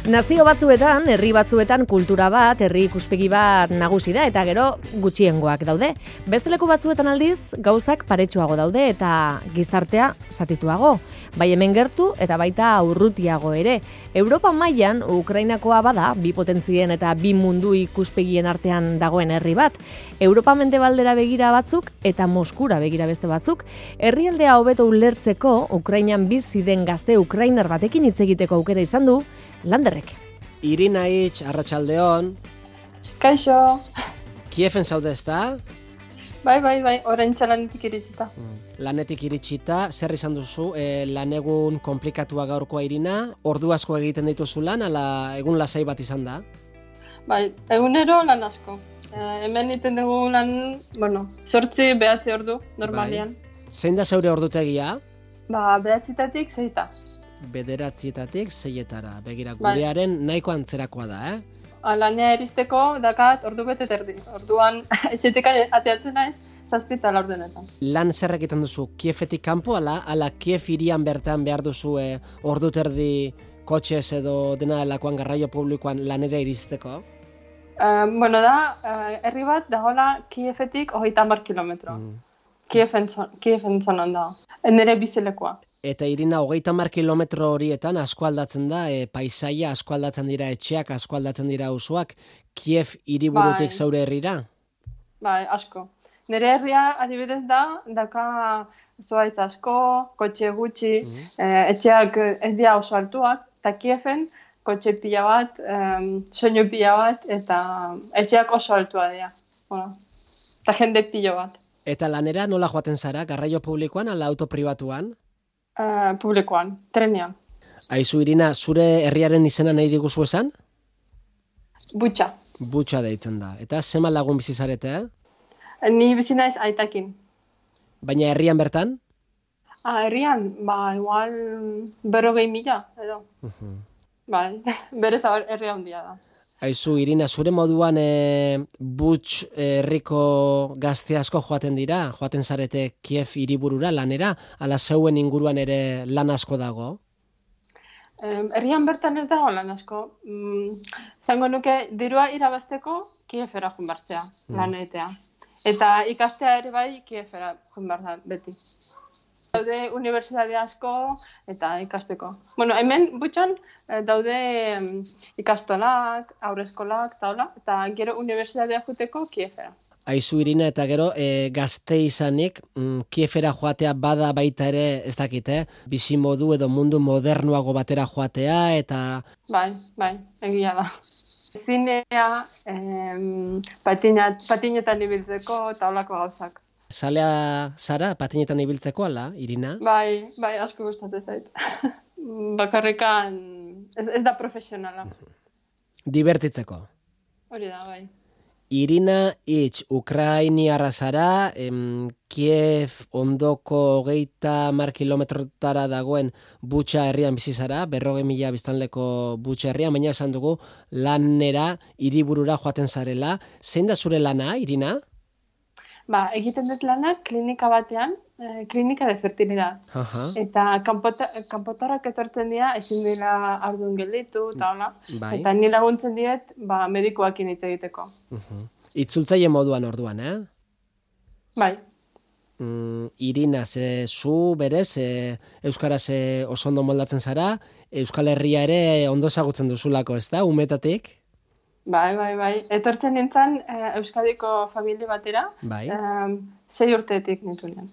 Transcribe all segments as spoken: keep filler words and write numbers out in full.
Nazio batzuetan, herri batzuetan kultura bat, herri ikuspegi bat nagusi da eta gero gutxiengoak daude. Beste leku batzuetan aldiz, gauzak paretsuago daude eta gizartea zatituago. Bai hemen gertu eta baita urrutiago ere. Europa mailan Ukrainakoa bada, bi potentzien eta bi mundu ikuspegien artean dagoen herri bat. Europa mendebaldera begira batzuk eta Moskura begira beste batzuk. Herrialdea hobeto ulertzeko Ukrainan bizi den gazte ukrainar batekin hitz egiteko aukera izan du Landerrek. Irina Itx, arratsaldeon. Kaixo. Kiefen zaude ezta? Bai, bai, bai, oraintxe lanetik iritsita. Lanetik iritsita, zer izan duzu, e, lanegun konplikatua gaurkoa Irina? Ordu asko egiten dituzu lan, ala egun lasai bat izan da? Bai, egunero lan asko. E, hemen egiten dugu lan, bueno, zortzi behatzi ordu, normalian. Bai. Zein da zeure ordutegia? Ba, behatzitatik zeita. Bederatzietatik zeietara. Begira, gurearen nahiko antzerakoa da, eh? Lanea eristeko dakat ordu bete terdi. Orduan etxetik ateatzen naiz, zazpita laurdenetan. Lan zer egiten duzu, Kiefetik kanpo, ala, ala Kief hirian bertan behar duzu e, ordu terdi kotxez edo dena delakoan garraio publikoan lanera iristeko? Uh, bueno, da, uh, herri bat dagoela Kiefetik hogeita hamar kilometro. Mm. Kiefen, Kiefen zonan da. Nere bizilekoa. Eta Irina, hogeita hamar kilometro horietan asko aldatzen da, e, paisaia, asko aldatzen dira etxeak, asko aldatzen dira auzoak, Kiev hiriburutik bai. Zaure herrira? Bai, asko. Nire herria adibidez da, daka zuaitz asko, kotxe gutxi, mm-hmm. e, etxeak ez dira oso altuak, eta Kieven kotxe pila bat, um, soinu pila bat, eta etxeak oso altua dira. Bueno, eta jende pila bat. Eta lanera nola joaten zara, garraio publikoan ala auto pribatuan? Uh, publikoan, trenean. Aizu Irina, zure herriaren izena nahi diguzu esan? Butxa. Butxa deitzen da. Eta zema lagun bizi zarete, eh? Ni bizi naiz aitakin. Baina herrian bertan? Ah, herrian, ba, igual berrogei mila, edo. Uh-huh. Bai, berez herria handia da. Aizu, Irina, zure moduan e, Butx herriko gazte asko joaten dira? Joaten zarete Kiev hiriburura lanera? Ala zeuen inguruan ere lan asko dago? Um, herrian bertan ez dago lan asko. Mm, zango nuke, dirua irabazteko Kievera joan bartzea, mm. lan egitea. Eta ikastea ere bai Kievera joan bartzea beti. Daude unibertsitate asko eta ikasteko. Bueno, hemen Butxan daude ikastolak, aurreskolak, taula, eta gero unibertsitatea joateko Kievera. Aizu Irina, eta gero e, gazte izanik, mm, Kievera joatea bada baita ere, ez dakit, eh? Bizi modu edo mundu modernuago batera joatea, eta... Bai, bai, egia da. Zinea, em, patinat, patinetan ibiltzeko, taulako gauzak. Zalea zara, patinetan ibiltzeko ala, Irina? Bai, bai, asko gustatzen zait. Bakarrikan, ez, ez da profesionala. Divertitzeko. Hori da, bai. Irina Itx, Ukrainiarra zara, em, Kiev ondoko hogeita hamar kilometrotara dagoen Butxa herrian bizi zara, berrogei mila biztanleko Butxa herrian, baina esan dugu lanera, hiriburura joaten zarela. Zein da zure lana, Irina? Ba, egiten dut lanak klinika batean, eh, klinika de fertilidad. Uh-huh. Eta kanpota, kanpotarrak etortzen dira, ezin dira ardun gelditu, eta hola. Bai. Eta ni laguntzen diet, ba, medikuakin hitz egiteko. Uh-huh. Itzultzaile moduan orduan, eh? Bai. Mm, Irina, ze zu berez, e, euskaraz e, oso ondo moldatzen zara, Euskal Herria ere ondo ezagutzen duzulako, ez da, umetatik? Bai, bai, bai. Etortzen nintzen eh, Euskadiko familia batera, bai. eh, sei urteetik nintuen.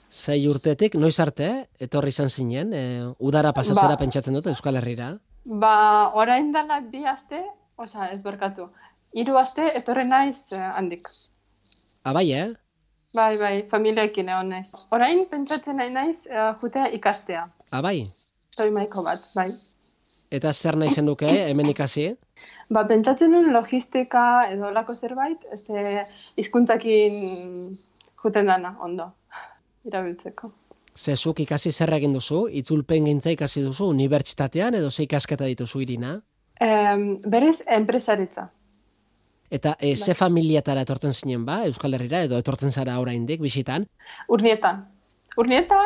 Sei urteetik, noiz arte, etorri izan zinen, e, udara pasatzera ba, pentsatzen dut Euskal Herrira? Ba, orain dela bi aste, oza, ez berkatu, hiru aste etorri naiz eh, handik. Abai, eh? Bai, bai, familiaekin egon naiz. Orain pentsatzen nahi naiz eh, jutea ikastea. Abai? Toi maiko bat, bai. Eta zer nahi zen duke, hemen ikasi? Ba, pentsatzen nuen logistika edo lako zerbait, ez hizkuntzakin juten dana, ondo, irabiltzeko. Zezuk ikasi zer egin duzu? Itzulpen gintza ikasi duzu? Unibertsitatean edo ze ikasketa dituzu, Irina? Um, berez, enpresaritza. Eta e, ze familiatara etortzen zinen ba, Euskal Herrira, edo etortzen zara oraindik bisitan? Urnietan. Urnieta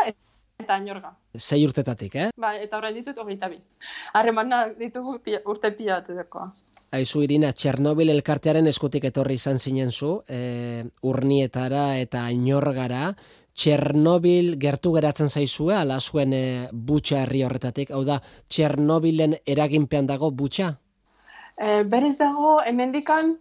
eta Añorga. Sei urtetatik, eh? Bai, eta orain ditut hogeita bi. Harremana ditugu pia, urte pila batekoa. Aizu Irina, Txernobil elkartearen eskutik etorri izan zinen zu, e, Urnietara eta Añorgara. Txernobil gertu geratzen zaizue, ala zuen e, Butxa herri horretatik, hau da, Txernobilen eraginpean dago Butxa? E, berez dago, hemendikan,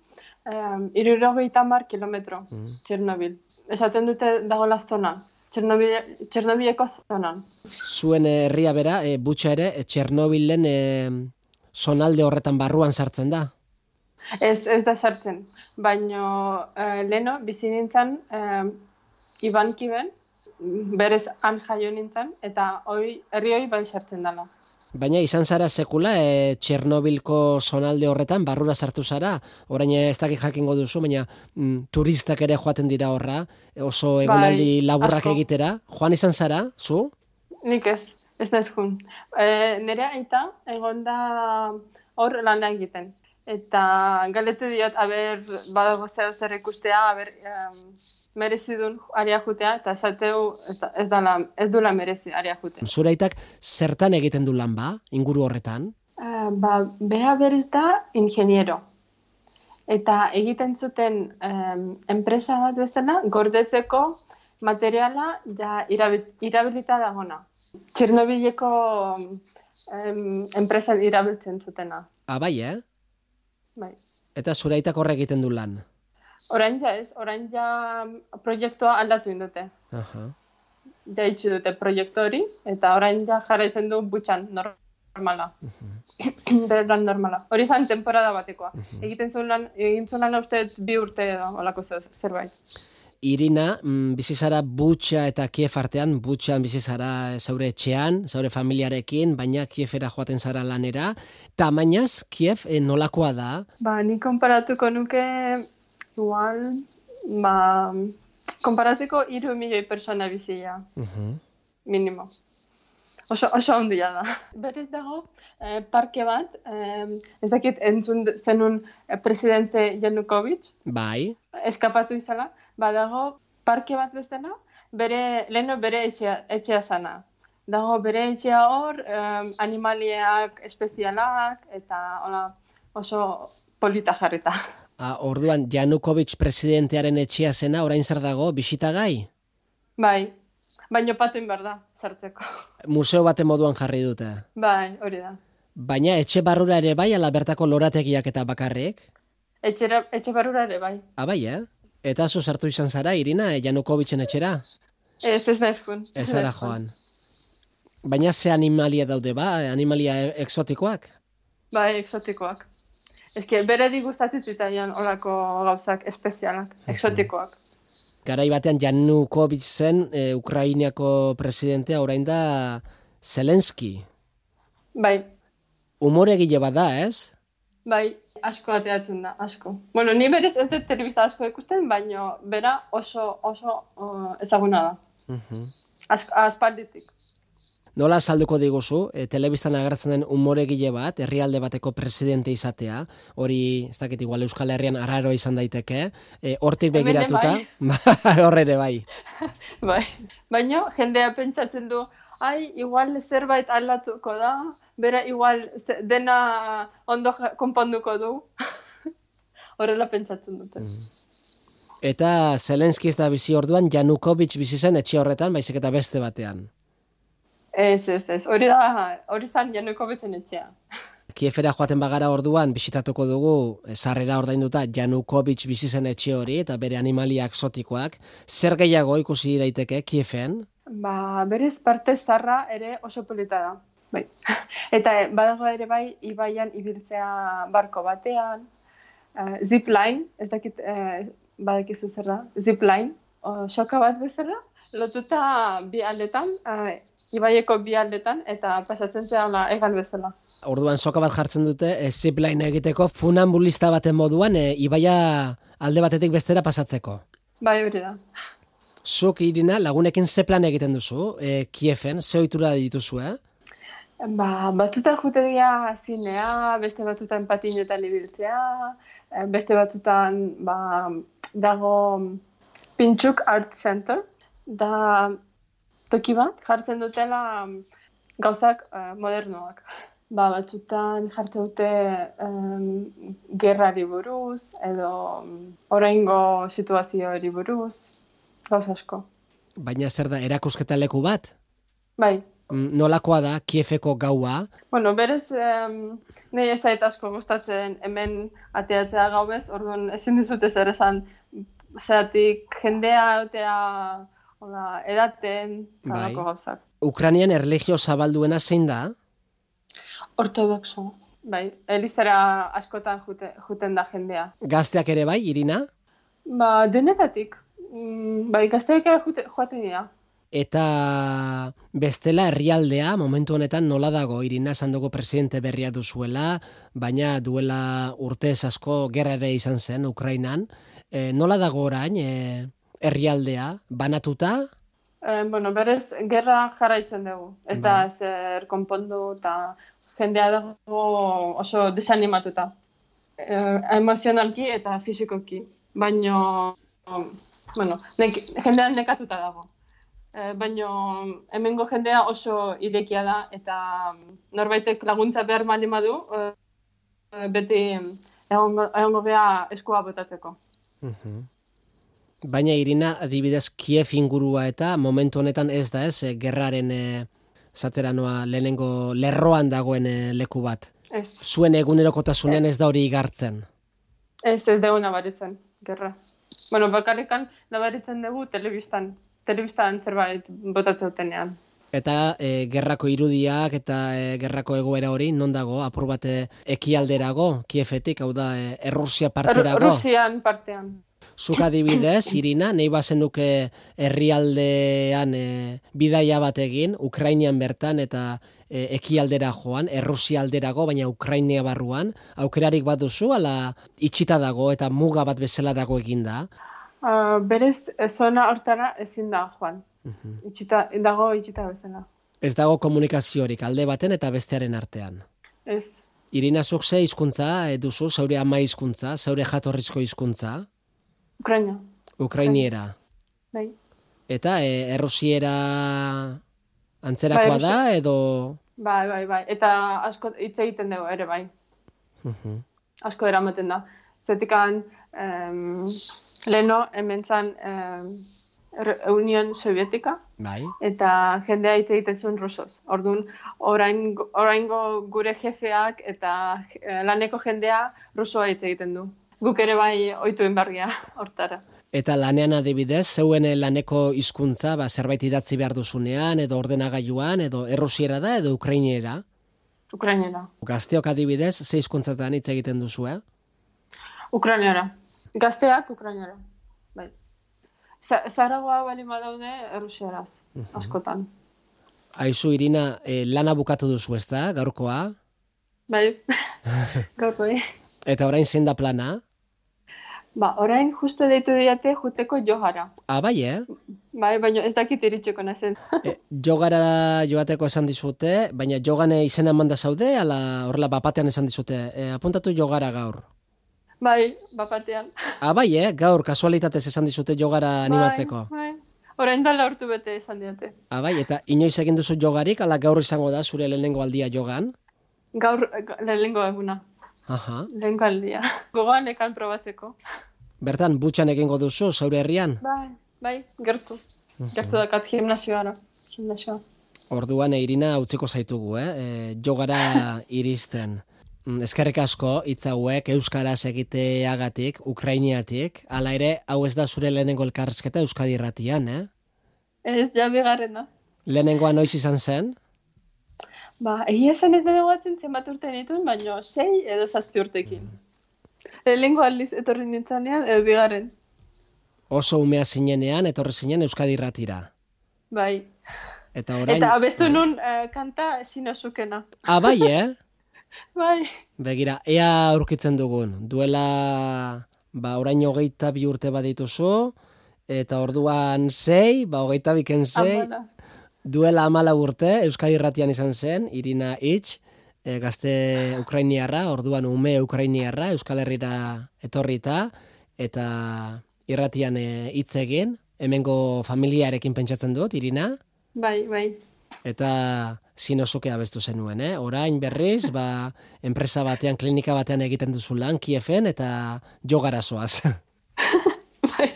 um, irurogeita hamar kilometro, mm. Txernobil. Esaten dute dago la zona, Txernobileko zonan. Zuen herria bera, e, Butxa ere, e, Txernobilen e, zonalde horretan barruan sartzen da? Ez, ez da sartzen, baina e, leno bizi nintzen e, Ibankiben, berez han jaio nintzen, eta hoi, herri hoi bai sartzen dela. Baina izan zara sekula e, Txernobilko zonalde horretan barrura sartu zara, orain ez dakik jakingo duzu, baina mm, turistak ere joaten dira horra, oso egonaldi bai, laburrak asko egitera. Joan izan zara, zu? Nik ez, ez naiz jun. E, nire aita egon da hor lana egiten. Eta galetu diot, aber, badago zeo zer ikustea, aber, um, merezidun aria jutea, eta esateu ez, ez, dala, ez dula merezi aria jutea. Zure aitak zertan egiten du lan ba, inguru horretan? Uh, ba, beha berez da ingeniero. Eta egiten zuten um, enpresa bat bezala, gordetzeko materiala ja irabilita dagona. Txernobileko um, enpresa irabiltzen zutena. Ah, bai, eh? Bai. Eta zure aitak horre egiten du lan? Orain ja ez, orain ja proiektua aldatu indute. Aha. Ja itxu dute proiektu hori, eta orain ja jarraitzen du Butxan normala. Uh-huh. Berran normala. Hori zan temporada batekoa. Uh-huh. Egiten zuen lan, egin zuen lan uste bi urte edo, olako zerbait. Irina, bizizara Butxa eta Kiev artean, Butxan bizizara zaure etxean, zaure familiarekin, baina Kievera joaten zara lanera. Tamainaz, Kiev eh, nolakoa da? Ba, ni konparatuko nuke, igual, ba, konparatzeko hiru milioi persona bizia, uh-huh. Minimo. Oso, oso handia da. Berez dago, eh, parke bat, eh, ez dakit entzun zenun eh, presidente Yanukovych. Bai. Eskapatu izala, badago parke bat bezala, bere, leheno bere etxea, etxea zana. Dago bere etxea hor, um, animaliak espezialak, eta hola, oso polita jarrita. Ah, orduan, Yanukovych presidentearen etxea zena, orain zer dago, bisitagai? Bai, baino patuin behar da, sartzeko. Museo baten moduan jarri dute? Bai, hori da. Baina etxe barrura ere bai, ala bertako lorategiak eta bakarrik? Etxera, etxe barrura ere bai. Ah, bai, eh? Eta zu sartu izan zara, Irina, Yanukovichen etxera? Ez, ez naizkun. Ez zara joan. Baina ze animalia daude ba, animalia exotikoak? Bai, exotikoak. Eske, bere di gustatzen zitaian olako gauzak espezialak, exotikoak. Garai batean Yanukovych zen, e, Ukrainiako presidentea, orain da Zelensky. Bai. Umoregile bat da, ez? Bai, asko ateatzen da, asko. Bueno, ni berez ez dut telebista asko ikusten, baina bera oso, oso uh, ezaguna da. Uh-huh. Asko, aspalditik. Nola salduko diguzu, e, telebistan agertzen den umoregile bat, herrialde bateko presidente izatea, hori, ez dakit igual Euskal Herrian arraro izan daiteke, e, hortik begiratuta, horre ere bai. Bai, baina jendea pentsatzen du, ai, igual zerbait aldatuko da, bera igual dena ondo konponduko du. Horrela pentsatzen dute. Mm. Eta Zelensky ez da bizi orduan, Yanukovych bizi zen etxe horretan, baizik eta beste batean. Ez, ez, ez. Hori da, hori zan Yanukovichen etxea. Kievera joaten bagara orduan, bisitatuko dugu, sarrera ordainduta Yanukovych bizi zen etxe hori, eta bere animalia exotikoak. Zer gehiago ikusi daiteke Kieven? Ba, berez parte zarra ere oso polita da. Bai. Eta badago ere bai, ibaian ibiltzea barko batean, uh, zipline, ez dakit, uh, badakizu zer da, zipline, uh, soka bat bezala, lotuta bi aldetan, uh, ibaieko bi aldetan, eta pasatzen zela egal bezala. Orduan soka bat jartzen dute, e, zipline egiteko, funambulista baten moduan, e, ibaia alde batetik bestera pasatzeko. Bai, hori da. Zuk, Irina, lagunekin ze plan egiten duzu, e, Kieven, ze ohitura dituzu, eh? Ba, batutan jute dira zinea, beste batutan patinetan ibiltzea, beste batutan ba, dago Pintxuk Art Center, da toki bat jartzen dutela gauzak uh, modernoak. Ba, batzutan jartzen dute um, gerrari buruz, edo oraingo situazioari buruz, gauz asko. Baina zer da, erakusketa leku bat? Bai. Nolakoa da, Kiefeko gaua? Bueno, berez, um, nahi ez zait asko gustatzen hemen ateatzea gaubez, orduan ezin dizute zer esan, zeratik jendea otea, hola, edaten, bai. Gauzak. Ukrainian erlijio zabalduena zein da? Ortodoxo. Bai, elizara askotan jute, juten da jendea. Gazteak ere bai, Irina? Ba, denetatik. Mm, bai, gazteak ere jute, joaten dira. Eta bestela herrialdea, momentu honetan nola dago, Irina, esan dugu presidente berria duzuela, baina duela urtez asko gerra ere izan zen Ukrainan. E, nola dago orain e, herrialdea, banatuta? E, bueno, berez, gerra jarraitzen dugu. Ez da zer konpondu eta jendea dago oso desanimatuta. E, emozionalki eta fisikoki. Baina, bueno, nek, jendea nekatuta dago. E, baina hemengo jendea oso irekia da eta norbaitek laguntza behar baldin badu, e, beti egongo, egongo beha eskua botatzeko. Uh-huh. Baina Irina, adibidez Kiev ingurua eta momentu honetan ez da ez, gerraren e, zatera noa lehenengo lerroan dagoen e, leku bat. Ez. Zuen egunerokotasunean ez da hori igartzen. Ez, ez dugu nabaritzen, gerra. Bueno, bakarrikan nabaritzen dugu telebistan. Telebistan zerbait botatzeutenean. Eta e, gerrako irudiak eta e, gerrako egoera hori non dago, apur bat ekialderago, Kiefetik, hau da, e, Errusia parterago? Errusian partean. Zuk adibidez, Irina, nahi bazenuke herrialdean e, bidaia bat egin, Ukrainian bertan eta e, ekialdera joan, Errusia alderago, baina Ukrainia barruan, aukerarik bat duzu, ala itxita dago eta muga bat bezala dago eginda? Uh, berez, zona hortara ezin da, Juan. Uh-huh. Itxita, dago itxita bezala. Ez dago komunikaziorik alde baten eta bestearen artean. Ez. Irina, zuk ze hizkuntza duzu, zaure ama hizkuntza, zaure jatorrizko hizkuntza? Ukraina. Ukrainiera. Bai. Eta e, errusiera antzerakoa bai, da, edo... Bai, bai, bai. Eta asko hitz egiten dugu ere, bai. Uh-huh. Asko eramaten da. Zetikan... Um, Leno, hemen zan eh, Union Sovietika, bai. Eta jendea hitz egiten zuen rusoz. Orduan, oraingo, oraingo gure jefeak eta eh, laneko jendea rusoa hitz egiten du. Guk ere bai ohituen berria hortara. Eta lanean adibidez, zeuen laneko hizkuntza, ba, zerbait idatzi behar duzunean, edo ordenagailuan, edo errusiera da, edo ukrainiera? Ukrainiera. Gazteok adibidez, ze hizkuntzatan hitz egiten duzu, eh? Ukrainiera. Gazteak Ukrainiara, bai. Zaragoa bali badaude errusieraz, askotan. Aizu, Irina, eh, lana bukatu duzu ez da, gaurkoa? Bai, gaurkoa. Eta orain zein da plana? Ba, orain justu deitu diate juteko jogara. Ah, bai, eh? Bai, baina ez dakit iritseko nazen. e, jogara joateko esan dizute, baina jogane izena emanda zaude, ala horrela bapatean esan dizute, e, apuntatu jogara gaur. Bai, bapatean. Ah, bai, eh? Gaur, kasualitatez esan dizute jogara animatzeko. Bai, bai. Orain da laurtu bete esan diate. Ah, bai, eta inoiz egin duzu jogarik, ala gaur izango da zure lehenengo aldia jogan? Gaur lehenengo eguna. Aha. Lehenengo aldia. Gogoan ekan probatzeko. Bertan, butxan egingo duzu, zaure herrian? Bai, bai, gertu. Uh-huh. Gertu dakat gimnasioara. Gimnasioa. Orduan, Irina, utziko zaitugu, eh? E, jogara iristen. Eskerrik asko, hitz hauek euskaraz egiteagatik, ukrainiatik, hala ere, hau ez da zure lehenengo elkarrizketa Euskadi Irratian, eh? Ez, ja bigarrena. Lehenengoa noiz izan zen? Ba, egia esan ez dut guatzen zenbat urte nituen, baina sei edo zazpi urtekin. Mm. Lehenengo aldiz etorri nintzanean, edo bigarren. Oso umea zinenean, etorri zinen Euskadi Irratira. Bai. Eta orain... Eta abestu nun uh, kanta sinozukena. Ah, bai, eh? Bai. Begira, ea aurkitzen dugun. Duela, ba, orain hogeita bi urte badituzu, eta orduan sei, ba, hogeita biken sei, Amala. Duela amala urte, Euskadi Irratian izan zen, Irina Itx, e, gazte ukrainiarra, orduan ume ukrainiarra, Euskal Herrira etorrita, eta irratian hitz egin, hemengo familiarekin pentsatzen dut, Irina? Bai, bai. Eta zinozuke abestu zenuen, eh? Orain berriz, ba, enpresa batean, klinika batean egiten duzu lan, Kiefen, eta jo garazoaz. Bai.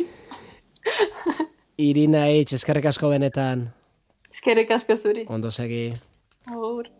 Irina Hitz, eskerrik asko benetan. Eskerrik asko zuri. Ondo segi. Agur.